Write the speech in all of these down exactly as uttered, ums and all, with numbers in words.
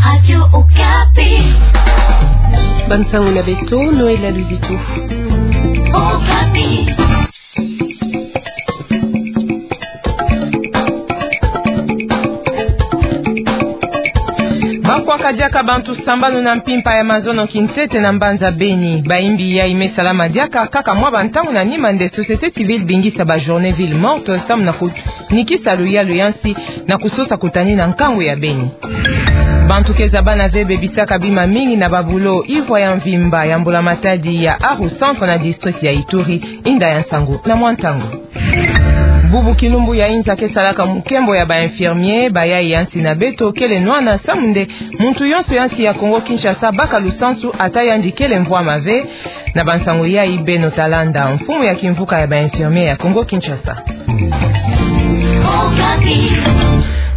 Radio Okapi. Bansango na beto, Noëlla Luzitu. Okapi. Ba kwaka diaka bantu sambanu na mpimpa ya mazono kintete na mbanza Beni. Bayimbi yayi me salama diaka kaka mwa bantangu na nima nde société civile bingisa ba journée ville morte samu na kunikisa luyalu ya nsi na kusosa kutani na nkangu ya Beni. Bantu ke zabana ve bebisaka bima mingi na ba bulo ivwa ya mvimba ya mbula-matadi ya Aru Centre na district ya Ituri. Inda ya nsangu na mwa ntangu. Bubu kilumbu ya inza ke salaka mukembo ya ba infirmier, bayayi ya nsi na beto kele nwana samu nde muntu yonso ya nsi ya Congo-Kinshasa baka lusansu ata yandi kele mvwama ve. Na bansangu yayi beno ta landa mfumu ya kimvuka ya ba infirmier ya Congo-Kinshasa.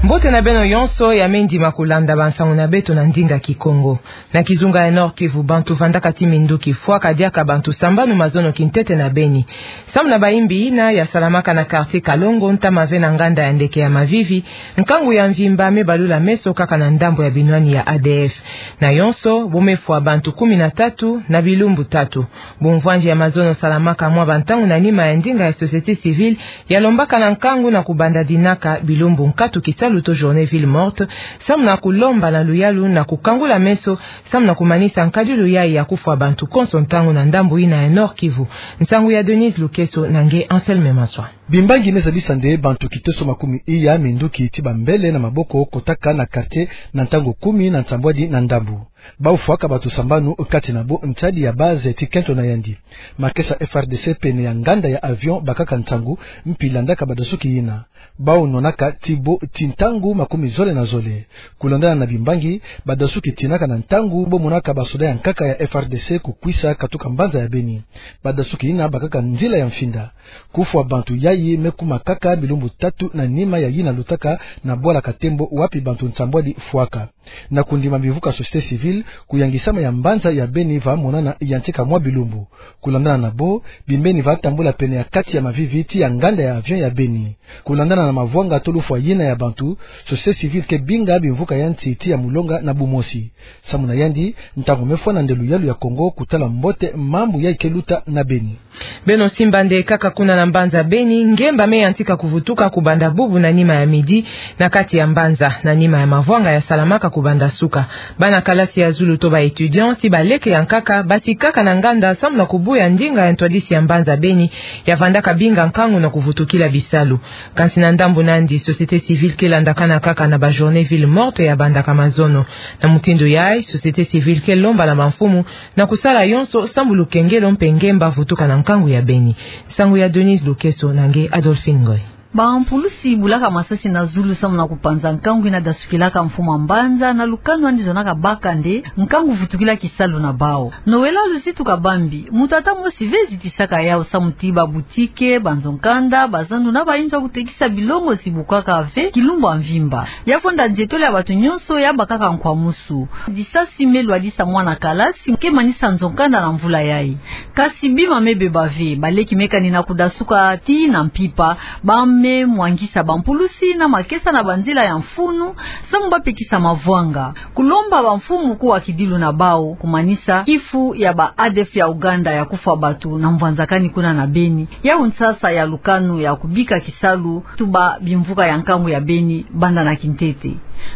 Mbote na beno yonso ya me ndima kulanda bansangu na beto na ndinga Kikongo. Na kizunga ya Nord-Kivu, bantu vandaka ti minduki fwaka diaka bantu sambanu mazono kintete na Beni. Samu na bayimbi yina ya salamaka na quartier Kalongo, ntama ve na nganda ya ndeke ya Mavivi, nkangu ya mvimba me balula meso kaka na ndambu ya binwani ya A D F. Na yonso bo me fwa bantu kumi na tatu na bilumbu tatu. Bumvwanzi ya mazono salamaka mwa bantangu na nima ya ndinga ya société civile ya lombaka na nkangu na kubanda dinaka bilumbu nkatu kisalu to journée ville morte, samu na kulomba na luyalu na kukangula meso, samu na kumanisa nkadilu yayi ya kufwa bantu konso ntangu na ndambu yina ya Nord-Kivu. Nsangu ya Denise Lukeso na nge Anselme Maswa. Bimbangi me zabisa nde bantu kiteso makumi iya minduki ti bambele na maboko kotaka na quartier na ntangu kumi na nsambwadi na ndambu. Bau fwaka bantu sambanu, kati na bo ntadi ya base ti kento na yandi. Makesa F R D C pene ya nganda ya avion bakaka nsangu mpi landaka badasuki yina. Bau nonaka ti bo ti ntangu makumi zole na zole. Kulandana na bimbangi, badasuki tinaka na ntangu bo monaka basoda ya nkaka ya F R D C kukwisa katuka mbanza ya Beni. Badasuki yina bakaka nzila ya mfinda. Kufwa bantu yayi me kuma kaka bilumbu tatu na nima ya yina lutaka na bwala Katembo wapi bantu nsambwadi fwaka. Na kundima bimvuka société civile, kuyangisama ya mbanza ya Beni va monana yantika mwa bilumbu. Kulandana na bo, bimbeni va tambula pene ya kati ya Mavivi ti ya nganda ya avion ya Beni. Kulandana na mavwanga to lufwa yina ya bantu, société civile ke binga bimvuka ya nsi ti ya mulonga na bumosi. Samu na yandi, ntangu me fwana nde luyalu ya Kongo kutala mbote mambu yayi ke luta na Beni. Beno simba nde kaka kuna na mbanza Beni, ngemba me yantika kuvutuka kubanda bubu na nima ya midi, na kati ya mbanza, na nima ya mavwanga ya salamaka kubanda suka. Bana kalasi ya zulu to ba étudiants, ti baleke ya nkaka, basikaka na nganda samu na kubuya ndinga ya ntwadisi ya mbanza Beni, ya vandaka binga nkangu na kuvutukila bisalu. Kansi na ndambu nandi, société civile ke landakana kaka na ba journée ville morte ya bandaka mazono. Na mutindu yayi, société civile ke lomba na bamfumu na kusala yonso samu lukengelo mpe ngemba vutuka na nkangu ya Beni. Nsangu ya Denise Lukeso na nge Adolphine Ngoy. Bampulusi bulaka masasi na zulu samu na kupanza nkangu yina dasukilaka mfumu a mbanza na lukanu andi zonaka baka nde nkangu vutukila kisalu na bau. Noëlla Luzitu kabambi, mutu ata mosi ve zitisaka yau samu ti ba boutique, banzo-nkanda, bazandu na bayinzo ya kutekisa bilongo zibukwaka ve kilumbu a mvimba. Ya vonda nzietolo ya bantu nyonso ya bakaka nkwamusu. Disasi me lwadisa mwana kalasi ke manisa nzo-nkanda na mvula yayi. Kasi bima me beba ve, baleki me kani na kudasuka tii na mpimpa, ba me mwangisa bampulusi na makesa na banzila ya mfunu, samu ba pekisa mavwanga. Kulomba bamfumu kuwa kidilu na bau, kumanisa kifu ya ba A D F ya Ouganda ya kufwa bantu na mvwanzakani kuna na Beni. Yau nsasa ya lukanu ya kubika kisalu, tuba bimvuka ya nkangu ya Beni, banda na kintete.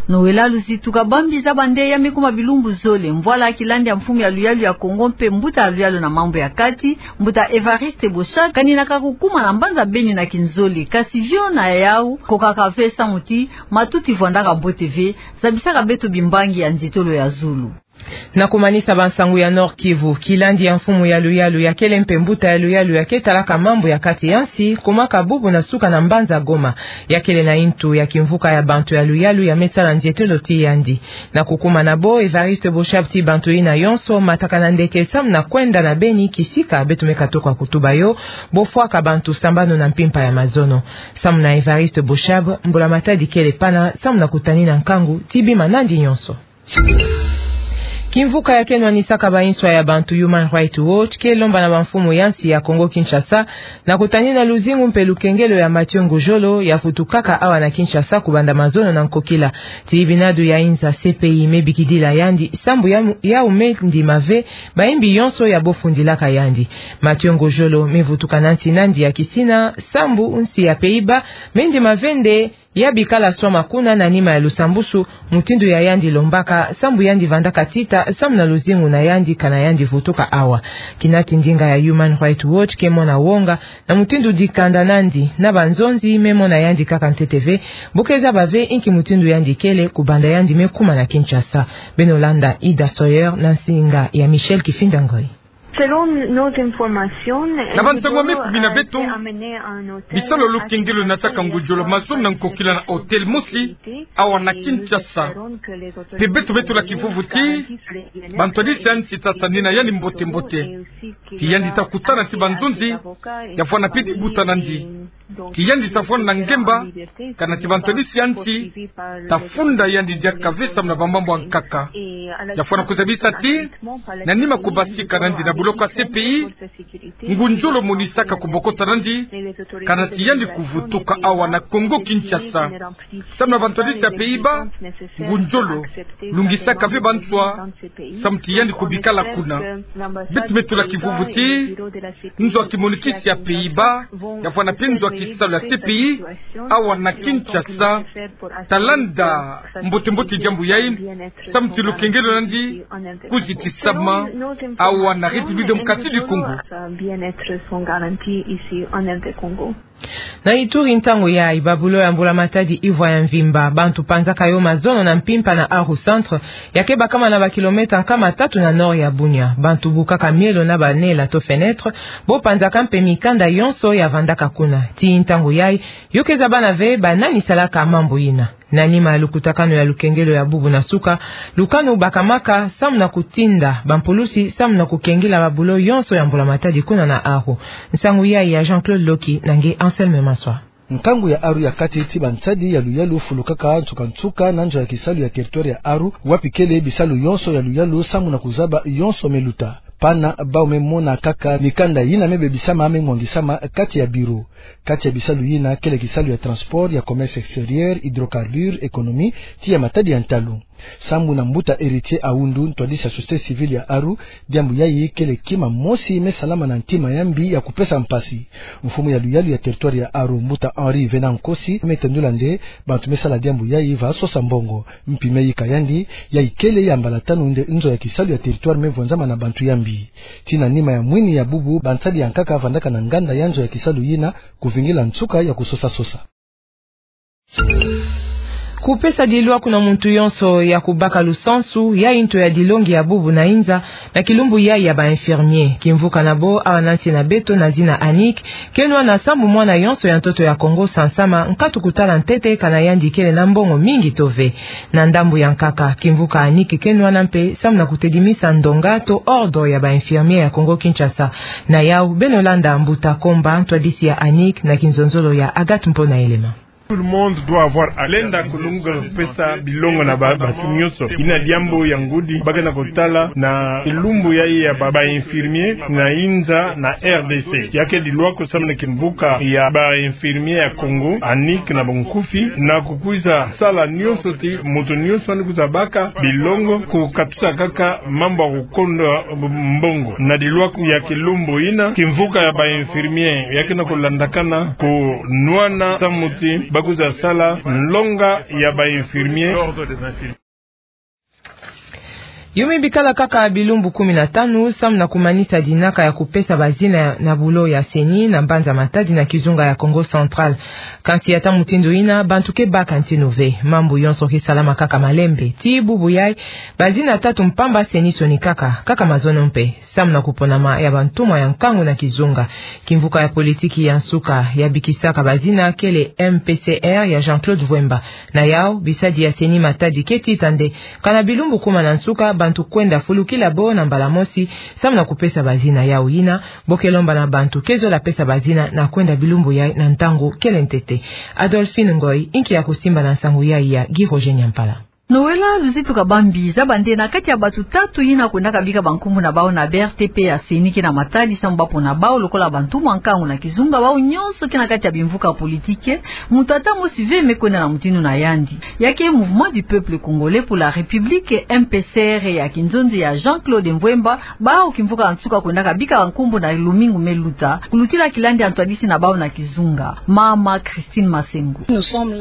Noëlla Luzitu kabambi zaba nde ya me kuma bilumbu zole, mvwala kilandi ya mfumu ya luyalu ya Kongo mpe mbuta ya luyalu na mambu ya kati, mbuta Évariste Boshab, kani na kakukuma na mbanza Beni na kinzole, kasi vio na yau, kokaka ve samu ti, matuti vwandaka mbote ve, zabisaka beto bimbangi ya nzietolo ya zulu. Na kumanisa bansangu ya Nord-Kivu, kilandi ya mfumu ya luyalu ya kele mpe mbuta ya luyalu ya ke talaka mambu ya kati ya nsi, kumaka bubu na suka na mbanza Goma, ya kele na yintu ya kimvuka ya bantu ya luyalu ya me sala nzietolo ti yandi. Na kukuma na bo, Évariste Boshab ti bantu yina yonso, matakana ndeke samu na kwenda na Beni kisika beto me katoka kutuba yo, bo fwaka bantu sambanu na mpimpa ya mazono. Samu na Évariste Boshab, mbula-matadi kele pana, samu na kutanina nkangu ti bima nandi nyonso. Kimvuka ya ke nwanisaka ba nswa ya bantu, Human Rights Watch, ke lomba na bamfumu ya nsi ya Congo Kinshasa na kutanina luzingu mpe lukengelo ya Mathieu Ngudjolo ya vutukaka awa na Kinshasa kubanda mazono na nkokila. Ti binadu ya inza C P I me bikidila yandi, sambu ya, yau me ndima ve bayimbi yonso ya bofundilaka yandi. Mathieu Ngudjolo me vutuka na nsi nandi ya kisina, sambu nsi ya Pays-Bas me ndima ve nde ya bikala swama kuna na nima ya lusambusu, mutindu ya yandi lombaka, sambu yandi vandaka tita, sambu na luzingu na yandi kana yandi vutuka awa. Kina ti ndinga ya Human Rights Watch ke mona wonga na mutindu dikanda nandi na banzonzi me mona yandi kaka ntete ve, bu ke zaba ve inki mutindu yandi kele kubanda yandi me kuma na Kinshasa. Beno landa Ida Sawyer na nsinga ya Michel Kifinda Ngoi. Selon nos informations, na bansangu me kumi na beto, bisalu ya lukengelo na tâka Ngudjolo mazono na nkokila na hôtel mosi awa na Kinshasa. Mpe beto me tula kivuvu ti bantu ya nsi ta tanina yandi mbote-mbote. Ti yandi ta kutana ti banzonzi, ya vwanda mpe ti buta nandi. Ti yandi ta vwanda na ngemba, kana ti bantu ya nsi ta funda yandi diaka ve sambu na bamambu ya nkaka. Ya vwanda kuzabisa ti, na nima kubasika nandi na buloko ya C P I, Ngudjolo monisaka kubokota nandi, kana ti yandi kuvutuka awa na Congo Kinshasa. Sambu na bantu ya nsi ya Pays-Bas, Ngudjolo lungisaka ve banswa, sambu ti yandi kubikala kuna. Beto me tula kivuvu ti nzo ya kimonikisi ya Pays-Bas, ya vwanda mpe nzo ya kisalu ya C P I awa na Kinshasa ta landa mbote-mbote diambu yayi, sambu ti lukengelo nandi kuziti sama awa na République Démocratique du Congo. Na Ituri, ntangu yayi, ba bulo ya mbula matadi ivwa ya mvimba, bantu panzaka yo mazono na mpimpa na Aru Centre, ya ke bakama na ba kilomètre nkama tatu na nord ya Bunia. Bantu bukaka mielo na ba nela to fenêtre, bo panzaka mpe mikanda yonso ya vandaka kuna. Ti ntangu yayi, yo ke zabana ve ba nani salaka mambu yina. Na nima ya lukutakanu ya lukengelo ya bubu na suka, lukanu bakamaka sambu na kutinda bampulusi sambu na kukengila ba bulo yonso ya mbula matadi kuna na Aru. Nsangu yayi ya Jean-Claude Loki na nge Anselme Maswa. Nkangu ya Aru ya kati ti bansadi ya luyalu fulukaka nsuka-nsuka na nzo ya kisalu ya territoire ya Aru, wapi kele bisalu yonso ya luyalu sambu na kuzaba yonso me luta. Pana bau me mona kaka mikanda yina me bebisama me mwangisama kati ya bureau. Kati ya bisalu yina kele kisalu ya transport, ya commerce extérieur, hydrocarbures, économie, ti ya matadi ya ntalu. Sambu na mbuta Héritier Aoundou, ntwadisi ya société civile ya Aru, diambu yayi kele kima mosi me salama na ntima ya mbi ya kupesa mpasi. Mfumu ya luyalu ya territoire ya Aru, mbuta Henri Venant Nkosi, me tendula nde bantu me sala diambu yayi va sosa mbongo. Mpi me yika yandi, yayi kele ya mbala tanu nde nzo ya kisalu ya territoire me vonzama na bantu ya mbi. Ti na nima ya mwini ya bubu, bansadi ya nkaka vandaka na nganda ya nzo ya kisalu yina, kuvingila nsuka ya kusosa-sosa. Kupesa dilwaku na muntu yonso ya kubaka lusansu, yayi nto ya dilongi ya bubu na inza, na kilumbu yayi ya ba infirmier. Kimvuka na bo, awa na nsi na beto na zina Annick, ke nwana sambu mwana yonso ya ntoto ya Kongo sansama, nkatu kutala ntete kana yandi kele na mbongo mingi to ve. Na ndambu ya nkaka, kimvuka Annick ke nwana mpe sambu na kutedimisa ndonga to ordre ya ba infirmier ya Kongo Kinshasa. Na yau, beno landa mbuta Komba, ntwadisi ya Annick, na kinzonzolo ya Agathe Mpona Elema. Tout le monde doit avoir accès. Lenda kulunga kupesa bilongo na ba, batu nyonso. Ina diambu ya ngudi, ba ke na kutala na lumbu yayi ya ba, ba infirmier na inza na R D C. Ya ke dilwaku sambu na kimvuka ya ba infirmier ya Kongo, Annick na bunkufi, na kukwiza sala nyonso ti muntu nyonso ni kwiza baka bilongo, kukatusa kaka mambu ya kukonda mbongo. Na dilwaku ya kilumbu yina, kimvuka ya ba infirmier ya ke na kulandakana kunwana sambu ti ba kwiza sala nlonga ya ba infirmier. Yo me bikala kaka bilumbu kumi na tanu, sambu na kumanisa dinaka ya kupesa bazina na bulo ya CENI na mbanza Matadi na kizunga ya Kongo Central. Kansi ata mutindu yina, bantu ke baka ntinu ve. Mambu yonso ke salama kaka malembe. Tii bubu yayi, bazina tatu mpamba CENI sonikaka, kaka mazono mpe. Sambu na kuponama ya bantumwa ya nkangu na kizunga. Kimvuka ya politiki ya nsuka ya bikisaka bazina kele M P C R ya Jean-Claude Vuemba. Na yau, bisadi ya CENI Matadi ke tita nde, kana bilumbu kuma na nsuka, bantu kwenda fulukila bo na mbala mosi, sambu na kupesa bazina. Yau yina, bo ke lomba na bantu ke zola pesa bazina na kwenda bilumbu yayi na ntangu kele ntete. Adolphine Ngoy, inki ya kusimba na nsangu yayi ya Guy Roger Nyampala. Noëlla Luzitu Kabambi, zaba nde na kati ya bato tatu yina kwendaka bika bankumbu na bawu na B R T P ya CENI ke na Matadi samu bapona bawu lokola bantu mwa nkangu na kizunga, bawu nyonso ke na kati ya bimvuka politike, moto ata mosi ve me kwenda na mutindu na yandi. Ya ke Mouvement du Peuple Congolais pour la République, M P C R, ya kinzonzi ya Jean-Claude Mvuemba, bawu kimvuka ya nsuka kwendaka bika bankumbu na lumingu me luta, kulutila kilandi ya ntwadisi na bawu na kizunga. Mama Christine Masengo.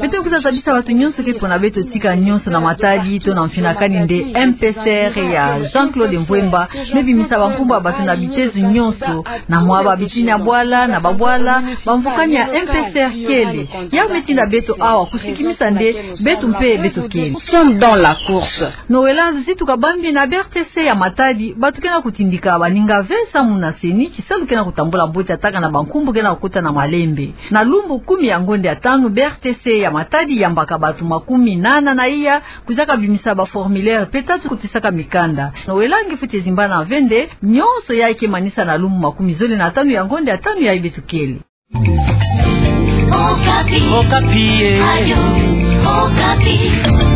Beto kwiza zabisa bato nyonso ke pona beto tika nyonso na Matadi to na mfinakani nde M P C R ya Jean-Claude Mvuemba me bimisa bankumbu ya bato na bitezo nyonso, na mwa babitini ya bwala, na babwala, bamvukani ya M P C R kele. Yawu me tinda beto awa kusikimisa nde beto mpe beto kele. Nous sommes dans la course. Noëlla Luzitu Kabambi, na B R T C ya Matadi, bato ke na kutindika baninga ve samu na CENI, kisalu ke na kutambula mbote ata kana bankumbu ke na kukota na malembe. Na lumbu kumi ya ngonde ya tanu, B R T C ya Matadi yambaka bato makumi nana na iya, kwizaka bimisa baformulaire mpe tatu kutisaka mikanda. Noëlla nge fweti zimbana ve nde nyonso yayi ke manisa na lumbu makumi zole na tanu ya ngonde ya tanu yayi beto kele. Okapi. Okapi, eh. Radio Okapi.